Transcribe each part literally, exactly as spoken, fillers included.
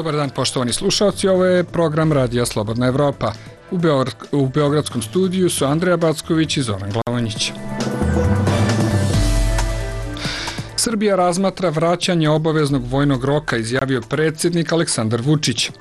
Dobar dan poštovani slušalci, ovo je program Radija Slobodna Evropa. U, Beogr u Beogradskom studiju su Andreja Backović i Zoran Glavonjić. Srbija razmatra vraćanje obaveznog vojnog roka, izjavio predsjednik Aleksandar Vučić.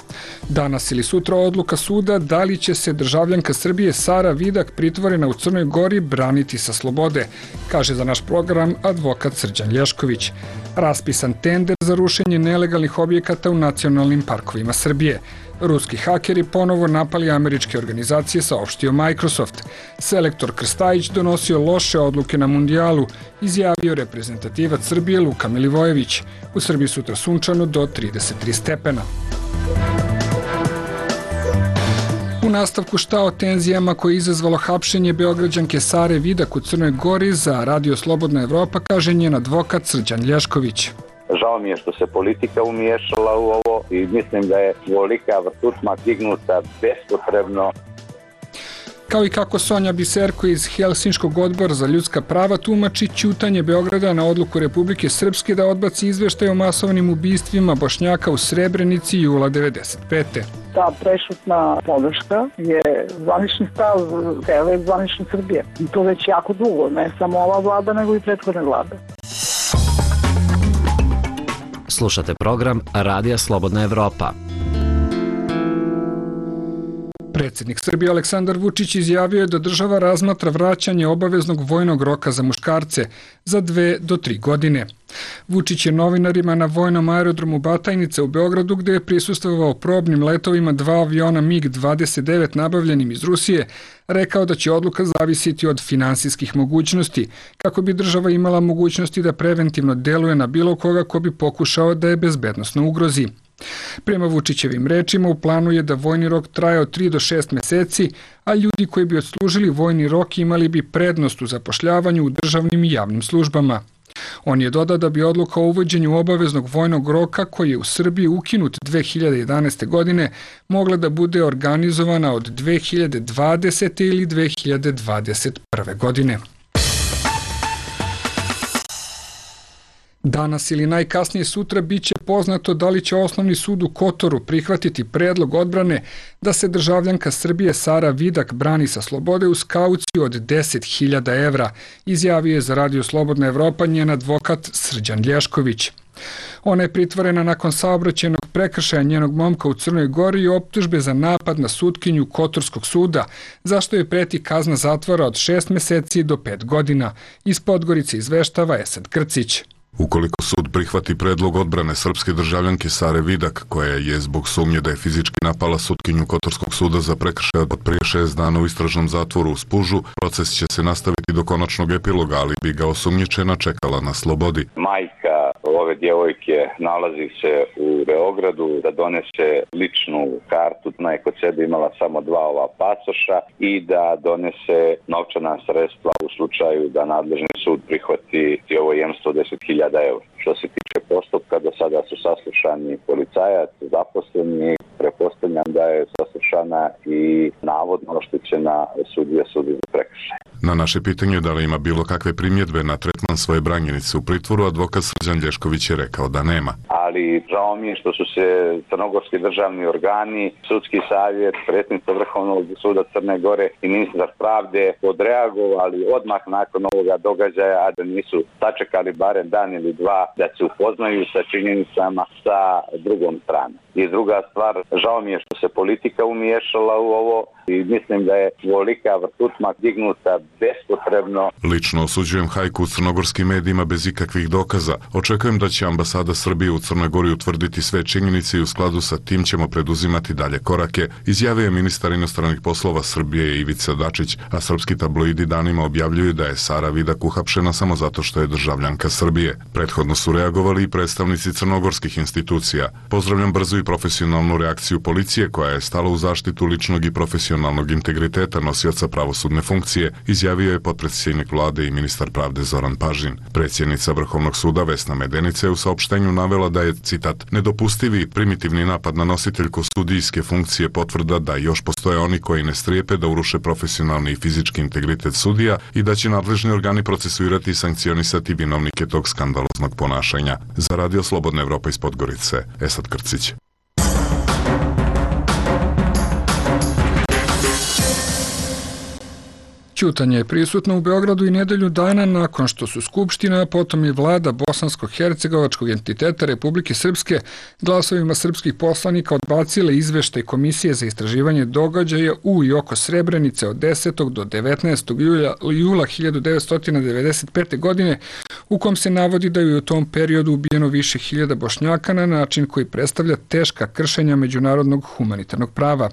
Danas ili sutra odluka suda da li će se državljanka Srbije Sara Vidak, pritvorena u Crnoj Gori, braniti sa slobode, kaže za naš program advokat Srđan Lješković. Raspisan tender za rušenje nelegalnih objekata u nacionalnim parkovima Srbije. Ruski hakeri ponovo napali američke organizacije, saopštio Microsoft. Selektor Krstajić donosio loše odluke na mundijalu, izjavio reprezentativac Srbije Luka Milivojević. U Srbiji sutra sunčano do trideset tri stepena. U nastavku šta o tenzijama koje je izazvalo hapšenje Beograđanke Sare Vidak u Crnoj Gori, za Radio Slobodna Evropa kaže njen advokat Srđan Lješković. Žao mi je što se politika umiješala u ovo i mislim da je volika vrtutma dignuta bespotrebno. Kao i kako Sonja Biserko iz Helsinškog odbora za ljudska prava tumači ćutanje Beograda na odluku Republike Srpske da odbaci izveštaj o masovnim ubistvima Bošnjaka u Srebrenici jula devedeset pete. Ta prešutna podrška je zvanični stav cele zvanične Srbije. I to već jako dugo, ne samo ova vlada, nego i prethodne vlade. Slušate program Radija Slobodna Evropa. Predsjednik Srbije Aleksandar Vučić izjavio je da država razmatra vraćanje obaveznog vojnog roka za muškarce za dve do tri godine. Vučić je novinarima na vojnom aerodromu Batajnica u Beogradu, gde je prisustvovao probnim letovima dva aviona mig dvadeset devet nabavljenim iz Rusije, rekao da će odluka zavisiti od finansijskih mogućnosti, kako bi država imala mogućnosti da preventivno deluje na bilo koga ko bi pokušao da je bezbednosno ugrozi. Prema Vučićevim rečima, u planu je da vojni rok traje od tri do šest meseci, a ljudi koji bi odslužili vojni rok imali bi prednost u zapošljavanju u državnim i javnim službama. On je dodao da bi odluka o uvođenju obaveznog vojnog roka, koji je u Srbiji ukinut dve hiljade jedanaeste. godine, mogla da bude organizovana od dve hiljade dvadesete. ili dve hiljade dvadeset prve. godine. Danas ili najkasnije sutra biće poznato da li će Osnovni sud u Kotoru prihvatiti predlog odbrane da se državljanka Srbije Sara Vidak brani sa slobode uz kauciju od deset hiljada evra, izjavio je za Radio Slobodna Evropa njen advokat Srđan Lješković. Ona je pritvorena nakon saobraćajnog prekršaja njenog momka u Crnoj Gori i optužbe za napad na sutkinju Kotorskog suda, zašto je preti kazna zatvora od šest meseci do pet godina. Iz Podgorice izveštava Esad Krcić. Ukoliko sud prihvati predlog odbrane srpske državljanke Sare Vidak, koja je zbog sumnje da je fizički napala sutkinju Kotorskog suda za prekršaj od prije šest dana u istražnom zatvoru u Spužu, proces će se nastaviti do konačnog epiloga, ali bi ga osumnjičena čekala na slobodi. Majka ove djevojke nalazi se u Beogradu da donese ličnu kartu, ona je kod sebe imala samo dva ova pasoša i da donese novčana sredstva u slučaju da nadležni sud prihvati ovo jemstvo deset hiljada evra. Što se tiče postupka, do sada su saslušani policajac, zaposleni, pretpostavljam da je saslušana i navodno oštećena sudija sudi za prekršaj. Na naše pitanje da li ima bilo kakve primjedbe na tretman svoje branjenice u pritvoru, advokat Srđan Lješković je rekao da nema. Ali žao mi je što su se crnogorski državni organi, sudski savjet, predsjednica Vrhovnog suda Crne Gore i ministar pravde odreagovali odmah nakon ovoga događaja, a da nisu sačekali barem dan ili dva da se upoznaju sa činjenicama sa drugom stranom. I druga stvar, žao mi je što se politika umiješala u ovo i mislim da je volika vrtutma dignuta bespotrebno. Lično osuđujem hajku u crnogorskim medijima bez ikakvih dokaza. Očekujem da će ambasada Srbije u Crnoj Gori utvrditi sve činjenice i u skladu sa tim ćemo preduzimati dalje korake, izjavio je ministar inostranih poslova Srbije Ivica Dačić, a srpski tabloidi danima objavljuju da je Sara Vidak uhapšena samo zato što je državljanka Srbije. Prethodno su reagovali i predstavnici crnogorskih institucija. Pozdravljam brzu i profesionalnu reakciju policije koja je stala u zaštitu ličnog i profesionalnog integriteta nosioca pravosudne funkcije, izjavio je potpredsjednik vlade i ministar pravde Zoran Pažin. Predsjednica Vrhovnog suda Vesna Medenica je u saopštenju navela da je, citat, nedopustivi primitivni napad na nositeljku sudijske funkcije potvrda da još postoje oni koji ne strijepe da uruše profesionalni i fizički integritet sudija i da će nadležni organi procesuirati i sankcionisati vinovnike tog skandaloznog ponašanja. Za Radio Slobodna Evropa iz Podgorice, Esad Krcić. Ćutanje je prisutno u Beogradu i nedelju dana nakon što su Skupština, a potom i vlada Bosansko-Hercegovačkog entiteta Republike Srpske glasovima srpskih poslanika odbacile izveštaj Komisije za istraživanje događaja u i oko Srebrenice od desetog do devetnaestog jula hiljadu devetsto devedeset pete. godine, u kom se navodi da je u tom periodu ubijeno više hiljada Bošnjaka na način koji predstavlja teška kršenja međunarodnog humanitarnog prava.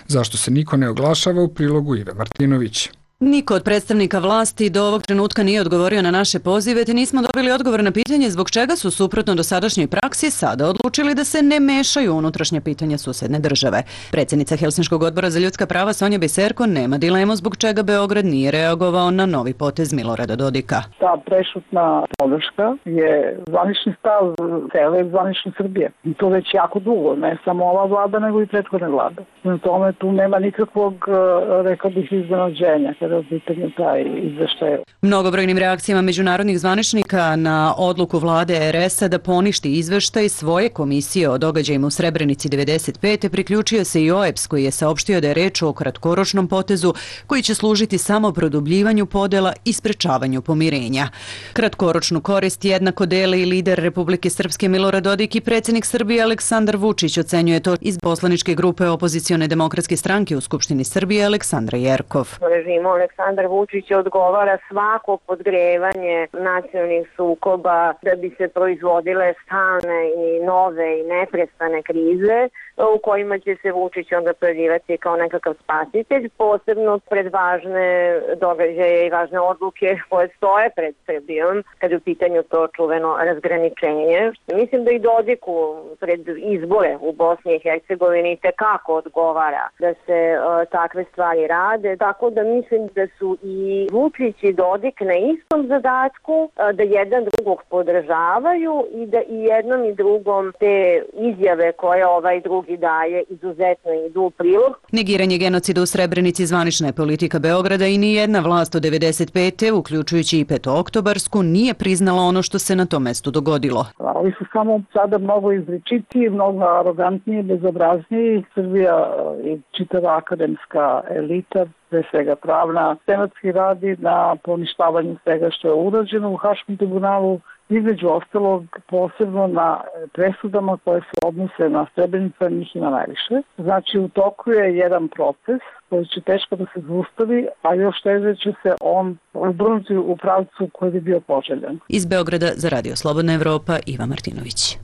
Zašto se niko ne oglašava, u prilogu Ive Martinović. Niko od predstavnika vlasti do ovog trenutka nije odgovorio na naše pozive, te nismo dobili odgovor na pitanje zbog čega su suprotno dosadašnjoj praksi sada odlučili da se ne mešaju u unutrašnja pitanja susedne države. Predsjednica Helsinškog odbora za ljudska prava Sonja Biserko nema dilemu zbog čega Beograd nije reagovao na novi potez Milorada Dodika. Ta prešutna podrška je zvanični stav cele zvanične Srbije. I to već jako dugo, ne samo ova vlada, nego i prethodne vlade. Na tome tu nema nikakvog, rekao bih, iznenađenja. Mnogobrojnim reakcijama međunarodnih zvaničnika na odluku vlade er es a da poništi izveštaj svoje komisije o događajima u Srebrenici devedeset pete. priključio se i o e pe es koji je saopštio da je reč o kratkoročnom potezu koji će služiti samo produbljivanju podela i sprečavanju pomirenja. Kratkoročnu korist jednako dele i lider Republike Srpske Milorad Dodik i predsjednik Srbije Aleksandar Vučić, ocenjuje to iz poslaničke grupe opozicione demokratske stranke u Skupštini Srbije Aleksandra Jerkov. Režimu Aleksandar Vučić odgovara svako podgrevanje nacionalnih sukoba da bi se proizvodile stalne i nove i neprestane krize u kojima će se Vučić onda pojavljivati kao nekakav spasitelj, posebno pred važne događaje i važne odluke koje stoje pred Srbijom kada je u pitanju to čuveno razgraničenje. Mislim da i Dodiku pred izbore u Bosni i Hercegovini tekako odgovara da se uh, takve stvari rade, tako da mislim da su i Vučić i Dodik na istom zadatku, uh, da jedan drugog podržavaju i da i jednom i drugom te izjave koje ovaj drugi i daje izuzetno idu u prilog. Negiranje genocida u Srebrenici zvanična je politika Beograda i nijedna vlast od devedeset pete. uključujući i petooktobarsku, nije priznala ono što se na tom mestu dogodilo. Oni su samo sada mnogo izričitiji, mnogo arogantniji, bezobrazniji. Srbija i čitava akademska elita, pre svega pravna, senatski radi na poništavanju svega što je urađeno u Haškom tribunalu, između ostalog posebno na presudama koje se odnose na Srebrenicu, njih ima najviše. Znači u toku je jedan proces koji će teško da se zaustavi, a još teže će se on obrnuti u pravcu koji bi bio poželjan. Iz Beograda za Radio Slobodna Evropa, Iva Martinović.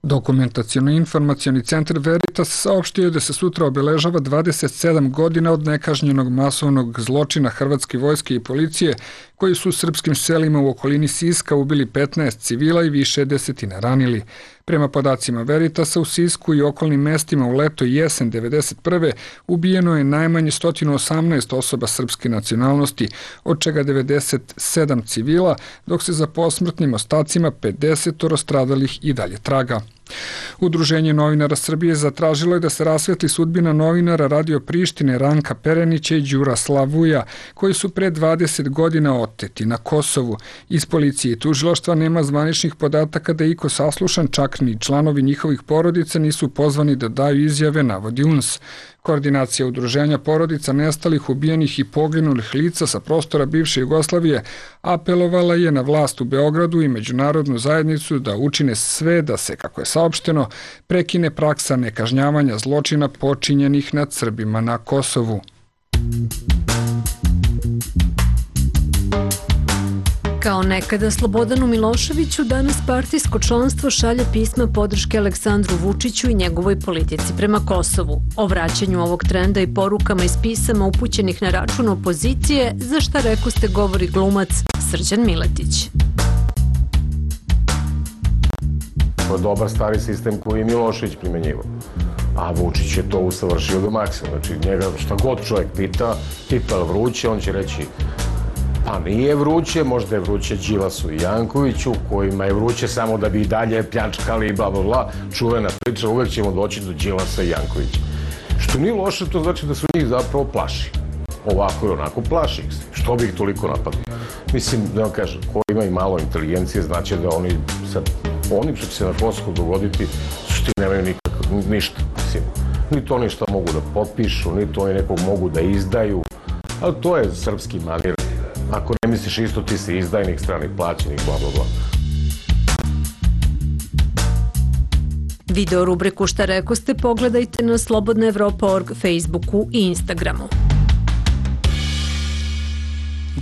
Dokumentaciono-informacioni centar Veritas saopštio je da se sutra obeležava dvadeset sedam godina od nekažnjenog masovnog zločina hrvatske vojske i policije koji su u srpskim selima u okolini Siska ubili petnaest civila i više desetina ranili. Prema podacima Veritasa, u Sisku i okolnim mestima u leto i jesen devedeset prve ubijeno je najmanje sto osamnaest osoba srpske nacionalnosti, od čega devedeset sedam civila, dok se za posmrtnim ostacima pedeset stradalih i dalje traga. Udruženje novinara Srbije zatražilo je da se rasvetli sudbina novinara Radio Prištine Ranka Perenića i Đura Slavuja, koji su pre dvadeset godina oteti na Kosovu. Iz policije i tužilaštva nema zvaničnih podataka da je iko saslušan, čak ni članovi njihovih porodica nisu pozvani da daju izjave, navodi U N S. Koordinacija udruženja porodica nestalih, ubijenih i poginulih lica sa prostora bivše Jugoslavije apelovala je na vlast u Beogradu i međunarodnu zajednicu da učine sve da se, kako je saopšteno, prekine praksa nekažnjavanja zločina počinjenih nad Srbima na Kosovu. Kao nekada Slobodanu Miloševiću, danas partijsko članstvo šalje pisma podrške Aleksandru Vučiću i njegovoj politici prema Kosovu. O vraćanju ovog trenda i porukama iz pisama upućenih na račun opozicije, za šta rekoste govori glumac Srđan Miletić. To je dobar stari sistem koji je Milošević primenjivao. A Vučić je to usavršio do maksimuma. Znači njega šta god čovjek pita, tipa je vruće, on će reći pa nije vruće, možda je vruće Đilasu i Jankoviću, kojima je vruće samo da bi i dalje pljačkali i bla bla bla. Čuvena priča, uvek ćemo doći do Đilasa i Jankovića. Što nije loše, to znači da su njih zapravo plaši. Ovako i onako plaši ih se. Što bi ih toliko napadli? Mislim, da vam kažem, ko ima i malo inteligencije, znači da oni sad, oni što će se na Kosovu dogoditi, što nemaju nikako, ništa. Mislim, ni to ništa mogu da potpišu, ni to oni nekog mogu da izdaju. Ali to je srpski manir. Ako ne misliš isto, ti si izdajnik, stranih plaćenih, bla, bla, bla. Video rubriku Šta rekoste pogledajte na slobodna evropa tačka org, Facebooku i Instagramu.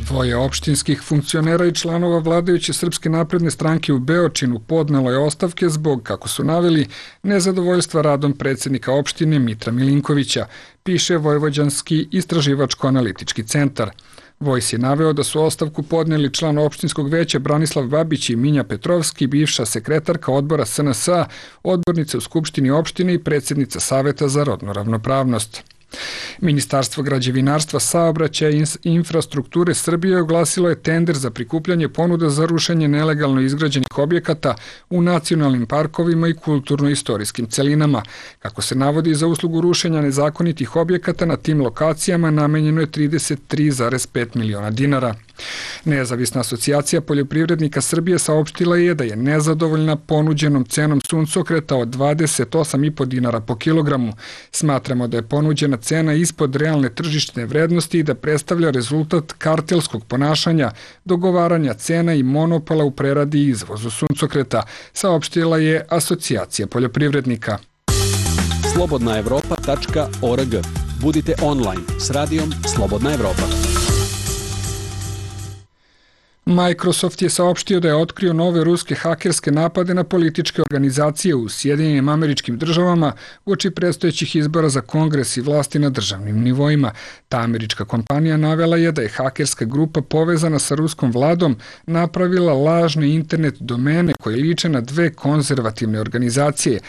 Dvoje opštinskih funkcionera i članova vladajuće Srpske napredne stranke u Beočinu podnelo je ostavke zbog, kako su naveli, nezadovoljstva radom predsjednika opštine Mitra Milinkovića, piše Vojvođanski istraživačko-analitički centar. Vojs je naveo da su ostavku podneli član opštinskog veća Branislav Babić i Minja Petrovski, bivša sekretarka odbora S N S-a, odbornica u Skupštini opštine i predsjednica Saveta za rodnu ravnopravnost. Ministarstvo građevinarstva, saobraćaja i infrastrukture Srbije oglasilo je tender za prikupljanje ponuda za rušenje nelegalno izgrađenih objekata u nacionalnim parkovima i kulturno-istorijskim celinama. Kako se navodi, za uslugu rušenja nezakonitih objekata na tim lokacijama namenjeno je trideset tri zarez pet miliona dinara. Nezavisna asocijacija poljoprivrednika Srbije saopštila je da je nezadovoljna ponuđenom cenom suncokreta od dvadeset osam i po dinara po kilogramu. Smatramo da je ponuđena cena ispod realne tržišne vrednosti i da predstavlja rezultat kartelskog ponašanja, dogovaranja cena i monopola u preradi i izvozu suncokreta, saopštila je asocijacija poljoprivrednika. slobodna evropa tačka org. Budite online s radijom Slobodna Evropa. Microsoft je saopštio da je otkrio nove ruske hakerske napade na političke organizacije u Sjedinjenim Američkim Državama uoči predstojećih izbora za Kongres i vlasti na državnim nivoima. Ta američka kompanija navela je da je hakerska grupa povezana sa ruskom vladom napravila lažne internet domene koje liče na dve konzervativne organizacije,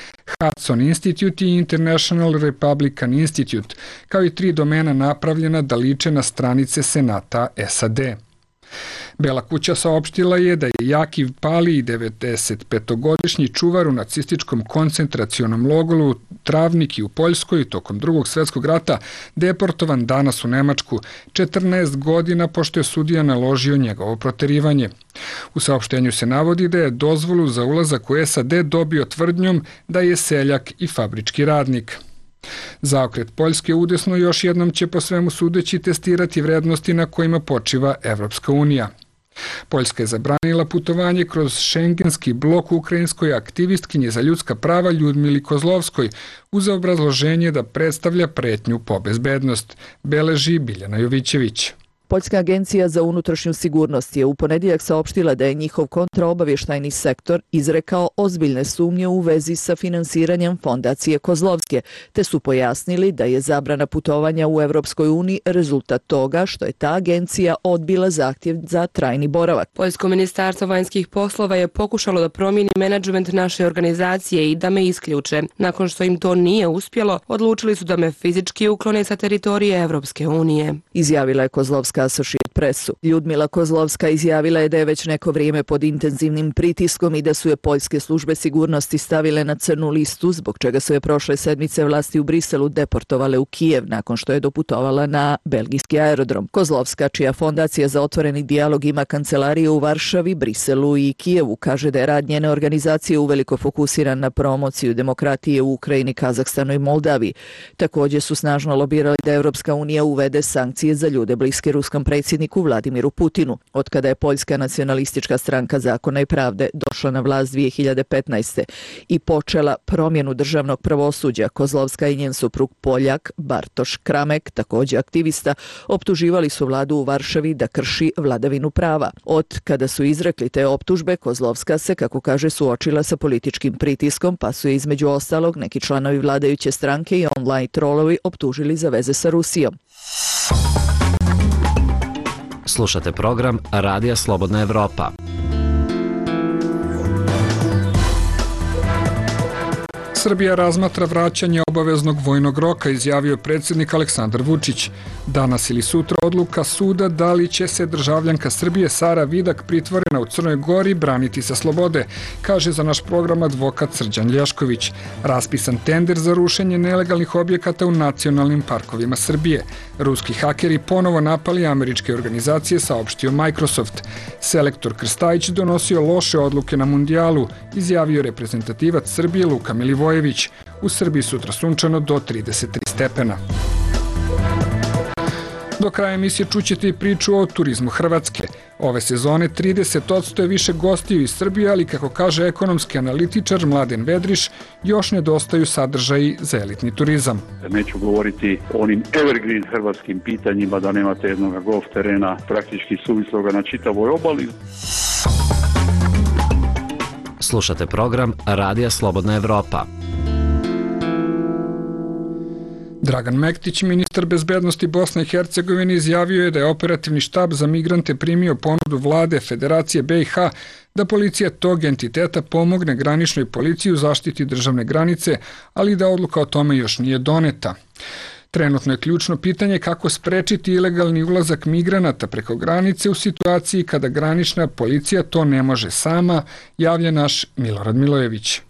Hudson Institute i International Republican Institute, kao i tri domena napravljena da liče na stranice Senata S A D. Bela kuća saopštila je da je Jakiv Palij, devedesetpetogodišnji čuvar u nacističkom koncentracionom logoru Travniki u Poljskoj tokom Drugog svjetskog rata, deportovan danas u Nemačku, četrnaest godina pošto je sudija naložio njegovo proterivanje. U saopštenju se navodi da je dozvolu za ulazak u S A D dobio tvrdnjom da je seljak i fabrički radnik. Zaokret Poljske udesno još jednom će po svemu sudeći testirati vrednosti na kojima počiva Evropska unija. Poljska je zabranila putovanje kroz šengenski blok ukrajinskoj aktivistkinje za ljudska prava Ljudmili Kozlovskoj uz obrazloženje da predstavlja pretnju po bezbednost, beleži Biljana Jovićević. Poljska agencija za unutrašnju sigurnost je u ponedjeljak saopštila da je njihov kontraobavještajni sektor izrekao ozbiljne sumnje u vezi sa finansiranjem fondacije Kozlovske, te su pojasnili da je zabrana putovanja u Evropskoj uniji rezultat toga što je ta agencija odbila zahtjev za trajni boravak. Poljsko ministarstvo vanjskih poslova je pokušalo da promijeni menadžment naše organizacije i da me isključe. Nakon što im to nije uspjelo, odlučili su da me fizički uklone sa teritorije Evropske unije. Izjavila je Kozlovska Associated Pressu. Ljudmila Kozlovska izjavila je da je već neko vrijeme pod intenzivnim pritiskom i da su je poljske službe sigurnosti stavile na crnu listu, zbog čega su je prošle sedmice vlasti u Briselu deportovale u Kijev nakon što je doputovala na belgijski aerodrom. Kozlovska, čija fondacija za otvoreni dijalog ima kancelarije u Varšavi, Briselu i Kijevu, kaže da je rad njene organizacije uveliko fokusiran na promociju demokratije u Ukrajini, Kazahstanu i Moldaviji. Također su snažno lobirali da Evropska unija uvede sankcije za ljude bliske ruskom predsjedniku Vladimiru Putinu. Otkada je Poljska nacionalistička stranka Zakona i pravde došla na vlast dvije hiljade petnaeste. i počela promjenu državnog pravosuđa, Kozlovska i njen suprug Poljak Bartoš Kramek, također aktivista, optuživali su vladu u Varšavi da krši vladavinu prava. Od kada su izrekli te optužbe, Kozlovska se, kako kaže, suočila sa političkim pritiskom, pa su je između ostalog neki članovi vladajuće stranke i online trolovi optužili za veze sa Rusijom. Slušate program Radija Slobodna Evropa. Srbija razmatra vraćanje obaveznog vojnog roka, izjavio predsjednik Aleksandar Vučić. Danas ili sutra odluka suda da li će se državljanka Srbije Sara Vidak, pritvorena u Crnoj Gori, braniti sa slobode, kaže za naš program advokat Srđan Lješković. Raspisan tender za rušenje nelegalnih objekata u nacionalnim parkovima Srbije. Ruski hakeri ponovo napali američke organizacije, saopštio Microsoft. Selektor Krstajić donosio loše odluke na mundijalu, izjavio reprezentativac Srbije Luka Milivojević. U Srbiji sutra sunčano do trideset tri stepena. Do kraja emisije čućete i priču o turizmu Hrvatske. Ove sezone trideset posto je više gostiju iz Srbije, ali kako kaže ekonomski analitičar Mladen Vedriš, još nedostaju sadržaji za elitni turizam. Neću govoriti o onim evergreen hrvatskim pitanjima da nemate jednog golf terena praktički suvisloga na čitavoj obali. Slušate program Radija Slobodna Evropa. Dragan Mektić, ministar bezbednosti Bosne i Hercegovine, izjavio je da je operativni štab za migrante primio ponudu vlade Federacije B i H da policija tog entiteta pomogne graničnoj policiji u zaštiti državne granice, ali da odluka o tome još nije doneta. Trenutno je ključno pitanje kako sprečiti ilegalni ulazak migranata preko granice u situaciji kada granična policija to ne može sama, javlja naš Milorad Milojević.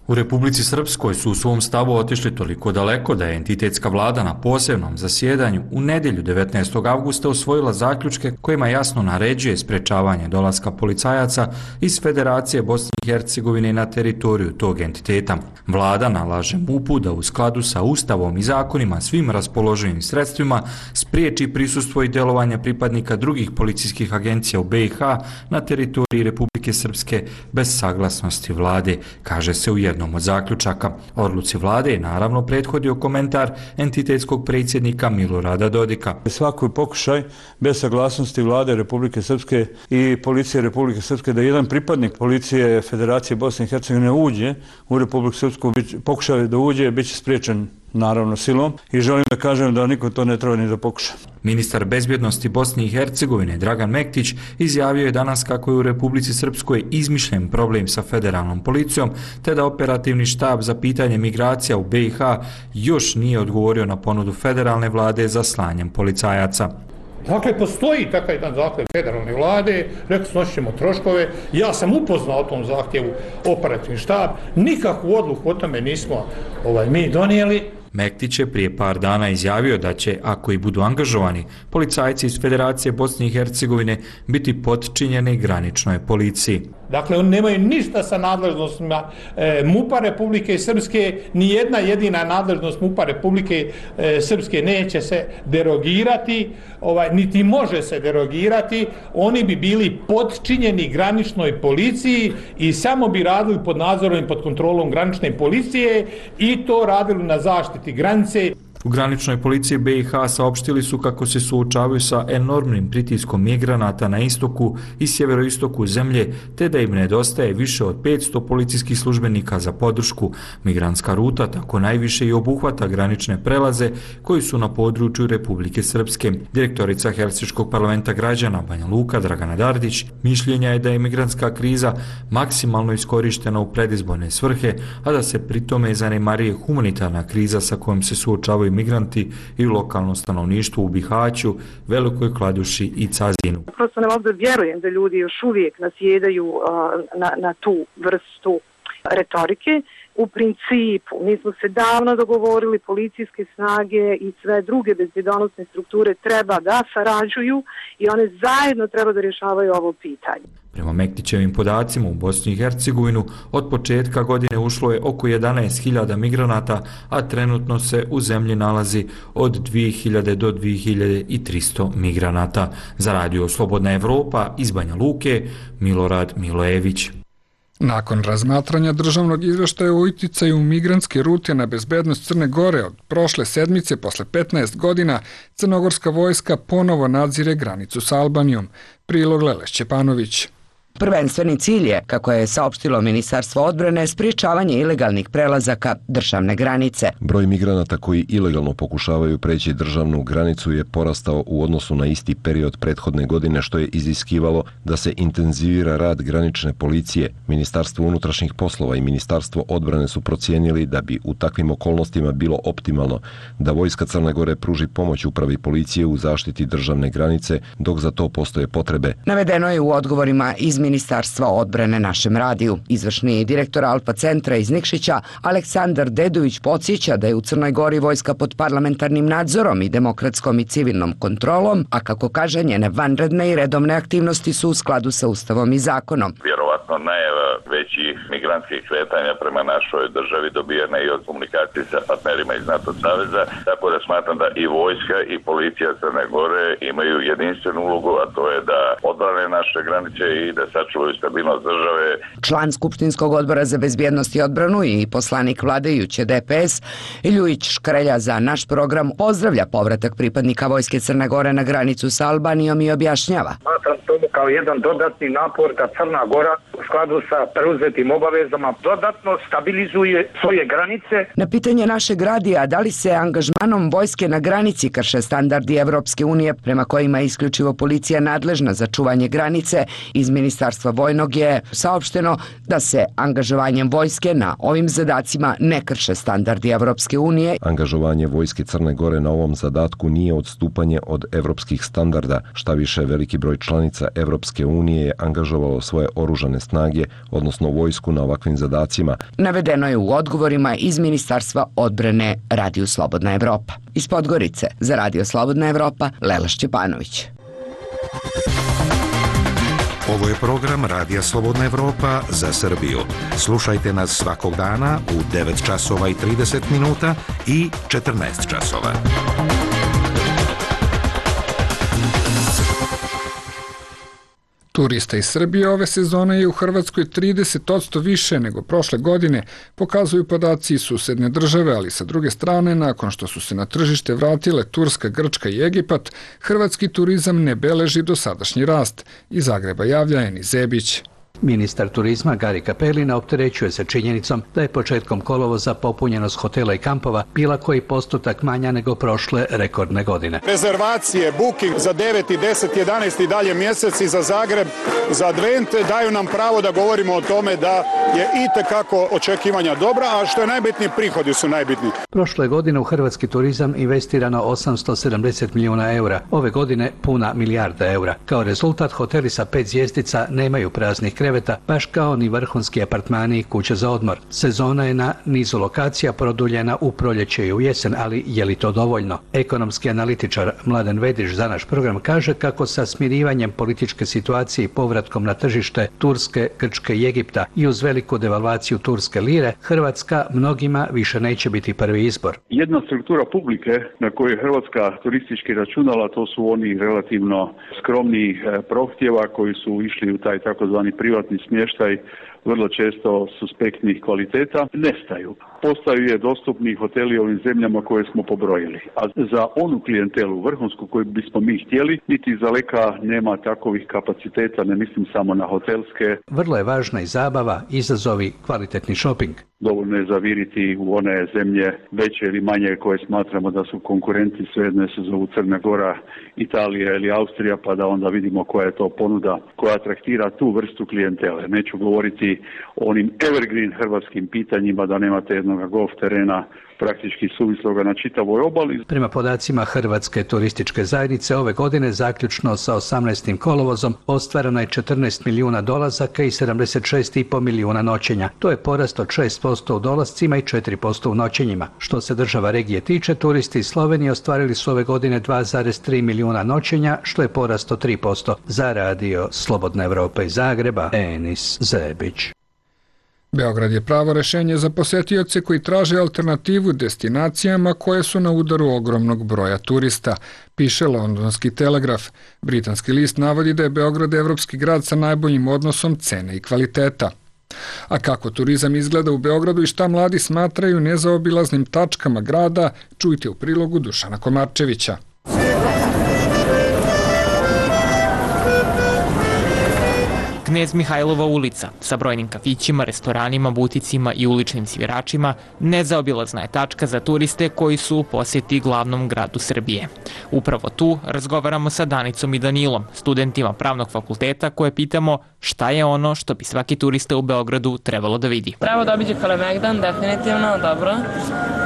U Republici Srpskoj su u svom stavu otišli toliko daleko da je entitetska vlada na posebnom zasjedanju u nedjelju devetnaestog avgusta usvojila zaključke kojima jasno naređuje sprečavanje dolaska policajaca iz Federacije Bosne i Hercegovine na teritoriju tog entiteta. Vlada nalaže MUP-u da u skladu sa Ustavom i zakonima svim raspoloživim sredstvima spriječi prisustvo i djelovanje pripadnika drugih policijskih agencija u B i H na teritoriji Republike Srpske bez saglasnosti vlade, kaže se u jednom od zaključaka. Odluci vlade je naravno prethodio komentar entitetskog predsjednika Milorada Dodika. Svaki pokušaj bez saglasnosti vlade Republike Srpske i policije Republike Srpske da jedan pripadnik policije Federacije Bosne i Hercegovine uđe u Republiku Srpsku, pokušaj da uđe, bit će spriječen naravno silom i želim da kažem da niko to ne treba ni da pokuša. Ministar bezbjednosti Bosne i Hercegovine Dragan Mektić izjavio je danas kako je u Republici Srpskoj izmišljen problem sa federalnom policijom, te da operativni štab za pitanje migracija u B i H još nije odgovorio na ponudu federalne vlade za slanjem policajaca. Dakle, postoji takav jedan zahtjev federalne vlade, rekli snosit ćemo troškove, ja sam upoznao o tom zahtjevu operativni štab, nikakvu odluku o tome nismo ovaj, mi donijeli. Mektić je prije par dana izjavio da će, ako i budu angažovani, policajci iz Federacije Bosne i Hercegovine biti potčinjeni graničnoj policiji. Dakle, oni nemaju ništa sa nadležnostima e, MUP-a Republike Srpske, ni jedna jedina nadležnost MUP-a Republike e, Srpske neće se derogirati, ovaj, niti može se derogirati, oni bi bili potčinjeni graničnoj policiji i samo bi radili pod nadzorom i pod kontrolom granične policije i to radili na zaštiti granice. U graničnoj policiji B i H saopštili su kako se suočavaju sa enormnim pritiskom migranata na istoku i sjeveroistoku zemlje, te da im nedostaje više od petsto policijskih službenika za podršku. Migrantska ruta tako najviše i obuhvata granične prelaze koji su na području Republike Srpske. Direktorica Helsinškog parlamenta građana Banja Luka Dragana Dardić mišljenja je da je migrantska kriza maksimalno iskorištena u predizborne svrhe, a da se pritome zanemarije humanitarna kriza sa kojom se suočavaju migranti i lokalno stanovništvo u Bihaću, Velikoj Kladuši i Cazinu. Prosto ne mogu da vjerujem da ljudi još uvijek nasjedaju na, na tu vrstu retorike. U principu, mi smo se davno dogovorili, policijske snage i sve druge bezbjednosne strukture treba da sarađuju i one zajedno treba da rješavaju ovo pitanje. Prema Mektićevim podacima u Bosni i Hercegovinu od početka godine ušlo je oko jedanaest hiljada migranata, a trenutno se u zemlji nalazi od dvije hiljade do dvije hiljade tristo migranata. Za Radio Slobodna Evropa iz Banja Luke, Milorad Milojević. Nakon razmatranja državnog izveštaja o uticaju migrantske rute na bezbednost Crne Gore od prošle sedmice, posle petnaest godina, crnogorska vojska ponovo nadzire granicu sa Albanijom. Prilog Lele Šćepanović. Prvenstveni cilj je, kako je saopštilo Ministarstvo odbrane, sprječavanje ilegalnih prelazaka državne granice. Broj migranata koji ilegalno pokušavaju preći državnu granicu je porastao u odnosu na isti period prethodne godine, što je iziskivalo da se intenzivira rad granične policije. Ministarstvo unutrašnjih poslova i Ministarstvo odbrane su procijenili da bi u takvim okolnostima bilo optimalno da vojska Crne Gore pruži pomoć upravi policije u zaštiti državne granice, dok za to postoje potrebe. Navedeno je u odgovorima iz Ministarstva odbrane našem radiju. Izvršni direktor Alfa centra iz Nikšića, Aleksandar Dedović, podsjeća da je u Crnoj Gori vojska pod parlamentarnim nadzorom i demokratskom i civilnom kontrolom, a kako kaže, njene vanredne i redovne aktivnosti su u skladu sa Ustavom i zakonom. Vjerovatno najava većih migrantskih kretanja prema našoj državi dobijena i od komunikacije sa partnerima iz NATO saveza, tako da smatram da i vojska i policija Crne Gore imaju jedinstvenu ulogu, a to je da odbrane naše granice i da sačuvaju stabilnost države. Član Skupštinskog odbora za bezbjednost i odbranu i poslanik vladajuće D P S Ljujić Škrelja za naš program pozdravlja povratak pripadnika vojske Crne Gore na granicu sa Albanijom i objašnjava. Smatram to kao jedan dodatni napor da Crna Gora u skladu sa preuzetim obavezama dodatno stabilizuje svoje granice. Na pitanje našeg radija da li se angažmanom vojske na granici krše standardi Evropske unije prema kojima je isključivo policija nadležna za čuvanje granice, iz Ministarstva vojnog je saopšteno da se angažovanjem vojske na ovim zadacima ne krše standardi Evropske unije. Angažovanje vojske Crne Gore na ovom zadatku nije odstupanje od evropskih standarda, šta više veliki broj članica Evropske unije je angažovalo svoje oružane snage, odnosno vojsku na ovakvim zadacima. Navedeno je u odgovorima iz Ministarstva odbrane Radiju Slobodna Evropa. Iz Podgorice za Radio Slobodna Evropa, Lela Šćepanović. Ovo je program Radija Slobodna Evropa za Srbiju. Slušajte nas svakog dana u devet časova i trideset minuta i četrnaest časova. Turista iz Srbije ove sezone je u Hrvatskoj trideset posto više nego prošle godine, pokazuju podaci iz susedne države, ali sa druge strane, nakon što su se na tržište vratile Turska, Grčka i Egipat, hrvatski turizam ne beleži dosadašnji rast. Iz Zagreba javlja Eni Zebić. Ministar turizma Gari Capellina opterećuje se činjenicom da je početkom kolovoza popunjenost hotela i kampova bila koji postotak manja nego prošle rekordne godine. Rezervacije, booking za deveti, deseti, jedanaesti i dalje mjesec i za Zagreb, za Advent daju nam pravo da govorimo o tome da je itekako očekivanja dobra, a što je najbitnije, prihodi su najbitniji. Prošle godine u hrvatski turizam investirano osamsto sedamdeset milijuna eura, ove godine puna milijarda eura. Kao rezultat, hoteli sa pet zvjezdica nemaju praznih kreveta, baš kao ni vrhunski apartmani i kuće za odmor. Sezona je na nizu lokacija produljena u proljeće i u jesen, ali je li to dovoljno? Ekonomski analitičar Mladen Vediš za naš program kaže kako sa smirivanjem političke situacije i povratkom na tržište Turske, Grčke i Egipta i uz veliku devalvaciju turske lire, Hrvatska mnogima više neće biti prvi izbor. Jedna struktura publike na kojoj je Hrvatska turistički računala, to su oni relativno skromni prohtjeva koji su išli u taj takozvani privatni smještaj, vrlo često suspektnih kvaliteta, nestaju. Postaju je dostupni hoteli u ovim zemljama koje smo pobrojili. A za onu klijentelu vrhunsku koju bismo mi htjeli, niti iz daleka nema takovih kapaciteta, ne mislim samo na hotelske. Vrlo je važna i zabava, izazovi, kvalitetni šoping. Dovoljno je zaviriti u one zemlje veće ili manje koje smatramo da su konkurenti, svejedno se zovu Crna Gora, Italija ili Austrija, pa da onda vidimo koja je to ponuda koja atraktira tu vrstu klijentele. Neću govoriti o onim evergreen hrvatskim pitanjima da nemate jednog golf terena praktički suvisloga na čitavoj obali. Prema podacima Hrvatske turističke zajednice, ove godine zaključno sa osamnaestim kolovozom ostvareno je četrnaest milijuna dolazaka i sedamdeset šest i po milijuna noćenja. To je porast od šest posto u dolascima i četiri posto u noćenjima. Što se država regije tiče, turisti iz Slovenije ostvarili su ove godine dva zarez tri milijuna noćenja, što je porast od tri posto. Za Radio Slobodna Evropa iz Zagreba, Enis Zebić. Beograd je pravo rešenje za posetioce koji traže alternativu destinacijama koje su na udaru ogromnog broja turista, piše Londonski telegraf. Britanski list navodi da je Beograd evropski grad sa najboljim odnosom cene i kvaliteta. A kako turizam izgleda u Beogradu i šta mladi smatraju nezaobilaznim tačkama grada, čujte u prilogu Dušana Komarčevića. Knez Mihajlova ulica sa brojnim kafićima, restoranima, buticima i uličnim sviračima nezaobilazna je tačka za turiste koji su u posjeti glavnom gradu Srbije. Upravo tu razgovaramo sa Danicom i Danilom, studentima pravnog fakulteta, koje pitamo šta je ono što bi svaki turista u Beogradu trebalo da vidi. Treba da obiđe Kalemegdan, definitivno, dobro.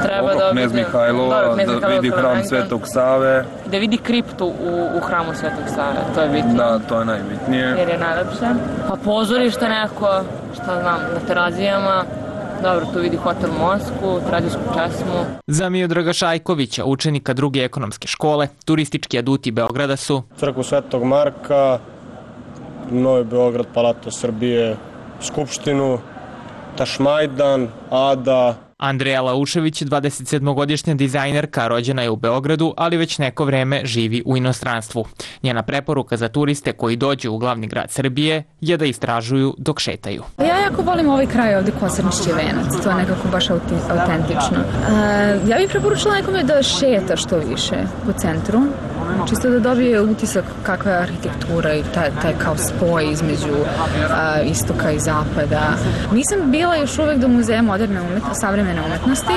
Treba da Knez Mihajlova, da vidi hram Svetog Save. da vidi kriptu u, u hramu Svetog Save, to je bitno. Da, to je najbitnije. Jer je najlepše. Pa pozorište neko, šta znam, na Terazijama. Dobro, tu vidi hotel Mosku, tradisku česmu. Za Miodraga Šajkovića, učenika druge ekonomske škole, turistički aduti Beograda su Crkvu Svetog Marka, Novi Beograd, Palato Srbije, Skupštinu, Tašmajdan, Ada. Andreja Laušević, dvadesetsedmogodišnja dizajnerka, rođena je u Beogradu, ali već neko vreme živi u inostranstvu. Njena preporuka za turiste koji dođu u glavni grad Srbije je da istražuju dok šetaju. Ja jako volim ovaj kraj ovde, Kosarnički venac, to je nekako baš autentično. Ja bih preporučila nekome da šeta što više po centru, čisto da dobije utisak kakva je arhitektura i taj, taj kao spoj između a, istoka i zapada. Nisam bila još uvek do muzeja moderne umetnosti, savremene umetnosti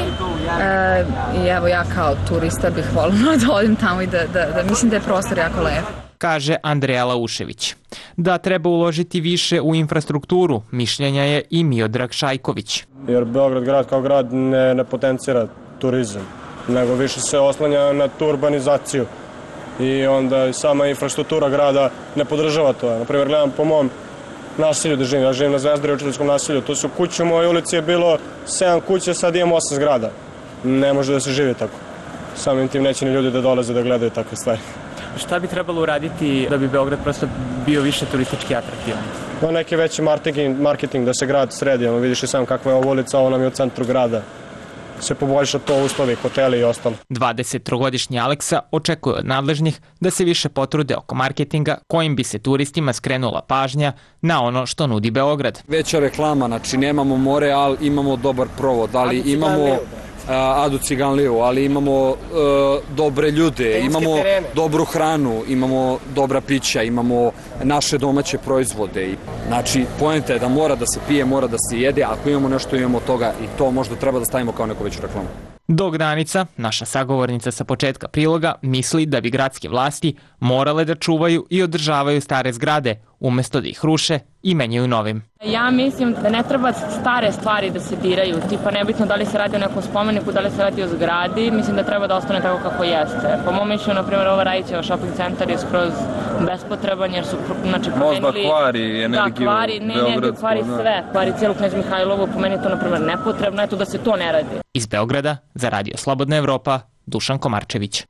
e, i evo ja kao turista bih voljela da odim tamo i da, da, da mislim da je prostor jako lep. Kaže Andreja Laušević. Da treba uložiti više u infrastrukturu, mišljenja je i Miodrag Šajković. Jer Beograd grad kao grad ne, ne potencira turizam, nego više se oslanja na tu urbanizaciju. I onda sama infrastruktura grada ne podržava to. Naprimjer, gledam po mom naselju da živim. Ja živim na Zvezdari u učiteljskom naselju. To su kuće, u mojoj ulici je bilo sedam kuće, sad imamo osam zgrada. Ne može da se živi tako. Samim tim neće ni ljudi da dolaze da gledaju takve stvari. Šta bi trebalo uraditi da bi Beograd prosto bio više turistički atraktivan? No, neki veći marketing, marketing da se grad sredi. Vidiš i sam kakva je ovo ulica, ovo nam je u centru grada. Se poboljša to uslovi, hoteli i ostalo. dvadesettrogodišnji Aleksa očekuje od nadležnih da se više potrude oko marketinga kojim bi se turistima skrenula pažnja na ono što nudi Beograd. Veća reklama, znači nemamo more, ali imamo dobar provod, ali imamo Adu Ciganliju, ali imamo uh, dobre ljude, imamo dobru hranu, imamo dobra pića, imamo naše domaće proizvode. I, znači, poenta je da mora da se pije, mora da se jede, ako imamo nešto, imamo toga i to možda treba da stavimo kao neku veću reklamu. Dok Danica, naša sagovornica sa početka priloga, misli da bi gradske vlasti morale da čuvaju i održavaju stare zgrade, umesto da ih ruše i menjaju novim. Ja mislim da ne treba stare stvari da se diraju, tipa nebitno da li se radi o nekom spomeniku, da li se radi o zgradi, mislim da treba da ostane tako kako jeste. Po mom mišljenju, na primjer, ova Rajićeva shopping centar je skroz bespotreban jer su znači, promenili... Možda kvari energiju da, kvari, ne, ne, kvari sve. Kvari cijelu Knez Mihajlovu, po meni je to, na primjer, nepotrebno, eto da se to ne radi. Iz Beograda, za Radio Slobodna Evropa, Dušan Komarčević.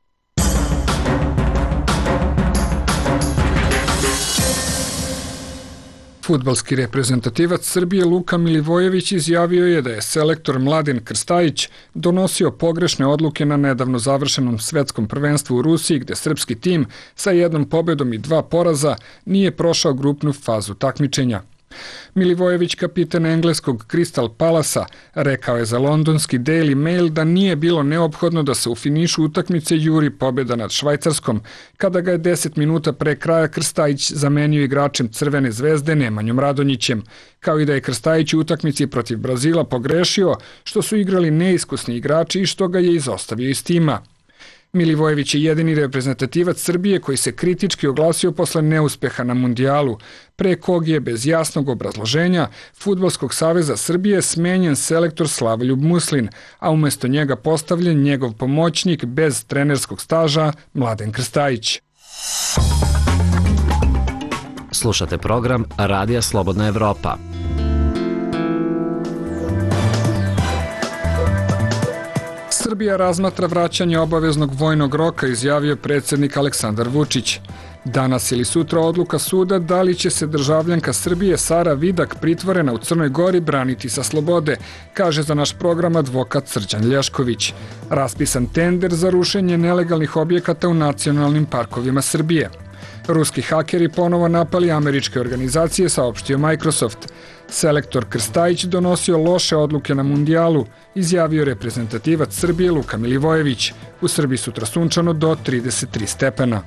Fudbalski reprezentativac Srbije Luka Milivojević izjavio je da je selektor Mladen Krstajić donosio pogrešne odluke na nedavno završenom svetskom prvenstvu u Rusiji, gde srpski tim sa jednom pobedom i dva poraza nije prošao grupnu fazu takmičenja. Milivojević, kapitan engleskog Crystal Palasa, rekao je za londonski Daily Mail da nije bilo neophodno da se u finišu utakmice juri pobjeda nad Švajcarskom, kada ga je deset minuta pre kraja Krstajić zamenio igračem Crvene zvezde Nemanjom Radonjićem, kao i da je Krstajić u utakmici protiv Brazila pogrešio što su igrali neiskusni igrači i što ga je izostavio iz tima. Milivojević je jedini reprezentativac Srbije koji se kritički oglasio posle neuspeha na mundijalu, pre kog je bez jasnog obrazloženja Fudbalskog saveza Srbije smenjen selektor Slavoljub Muslin, a umesto njega postavljen njegov pomoćnik bez trenerskog staža Mladen Krstajić. Slušate program Radija Slobodna Evropa. Srbija razmatra vraćanje obaveznog vojnog roka, izjavio predsjednik Aleksandar Vučić. Danas ili sutra odluka suda da li će se državljanka Srbije Sara Vidak, pritvorena u Crnoj Gori, braniti sa slobode, kaže za naš program advokat Srđan Lješković. Raspisan tender za rušenje nelegalnih objekata u nacionalnim parkovima Srbije. Ruski hakeri ponovo napali američke organizacije, saopštio Microsoft. Selektor Krstajić donosio loše odluke na mundijalu, izjavio reprezentativac Srbije Luka Milivojević. U Srbiji sutra sunčano do trideset tri stepena.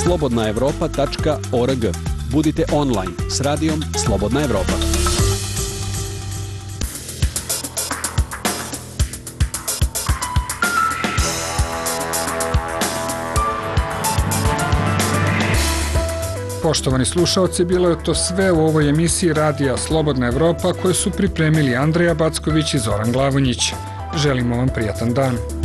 slobodna evropa tačka org. Budite online s radijom Slobodna Evropa. Poštovani slušaoci, bilo je to sve u ovoj emisiji Radija Slobodna Evropa koje su pripremili Andreja Backović i Zoran Glavonjić. Želimo vam prijatan dan.